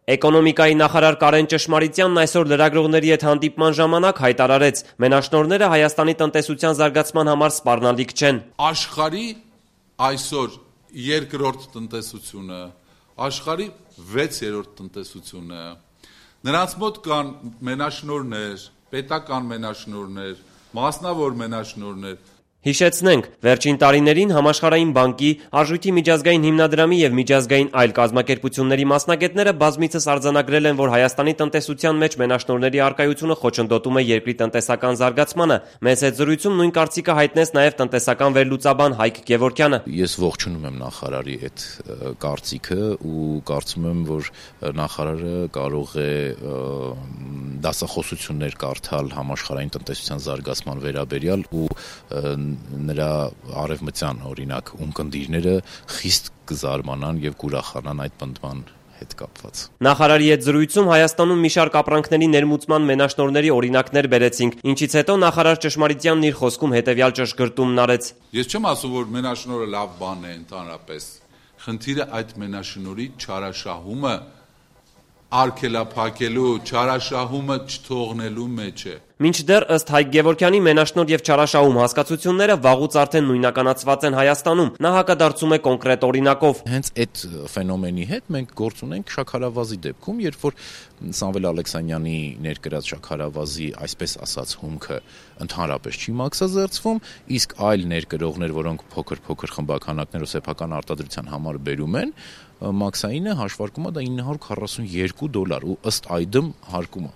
Էկոնոմիկայի նախարար Կարեն Ճշմարիտյանն այսօր լրագրողների հետ հանդիպման ժամանակ հայտարարեց, մենաշնորհները Հայաստանի տնտեսության զարգացման համար սպառնալիք չեն։ Աշխարհի այսօր երկրորդ տնտեսությունը, աշխարհի 6-րդ տնտեսությունը, նրանց մոտ կան մենաշնորհներ, պետական մենաշնորհներ, մասնավոր մենաշնորհներ։ Հիշեցնենք, վերջին տարիներին Համաշխարհային բանկի, Արժույթի միջազգային հիմնադրամի և միջազգային այլ կազմակերպությունների մասնագետները բազմիցս արձանագրել են, որ Հայաստանի տնտեսության մեջ մենաշնորհների առկայությունը խոչընդոտում է երկրի տնտեսական զարգացմանը։ Մեզ հետ զրույցում նույն կարծիքը հայտնեց նաև տնտեսական վերլուծաբան Հայկ Գևորգյանը։ Ես ողջունում եմ նախարարի այդ կարծիքը ու կարծում եմ, որ նախարարը կարող է դասախոսություններ կարդալ համաշխարհային տնտեսության զարգացման վերաբերյալ ու նրա արևմտյան օրինակ ունկնդիրները խիստ կզարմանան եւ կուրախանան այդ պնդման հետ կապված։ Նախարարի հետ զրույցում Հայաստանում մի շարք ապրանքների ներմուծման մենաշնորհների օրինակներ բերեցինք, ինչից հետո նախարար Ճշմարիտյանն իր խոսքում հետեւյալ ճշգրտումն արեց։ Ես չեմ ասում, որ մենաշնորհը լավ բան է ընդհանրապես։ Խնդիրը այդ մենաշնորհի չարաշահումը արգելափակելու, չարաշահումը չթողնելու մեջ է։ Մինչդեռ ըստ Հայկ Գևորգյանի մենաշնորհ եւ չարաշահում հասկացությունները վաղուց արդեն նույնականացված են Հայաստանում։ Նա հակադարձում է կոնկրետ օրինակով։ Հենց այդ ֆենոմենի հետ մենք գործ ունենք շաքարավազի դեպքում, երբ որ Սամվել Ալեքսանյանի ներկրած շաքարավազի, այսպես ասած, հումքը ընդհանրապես չի մաքսազերծվում, իսկ այլ ներկրողներ, որոնք փոքր խմբականակներ ու սեփական արտադրության համար բերում են, մաքսայինը հաշվարկում է դա $942 ու ըստ այդմ հարկում է։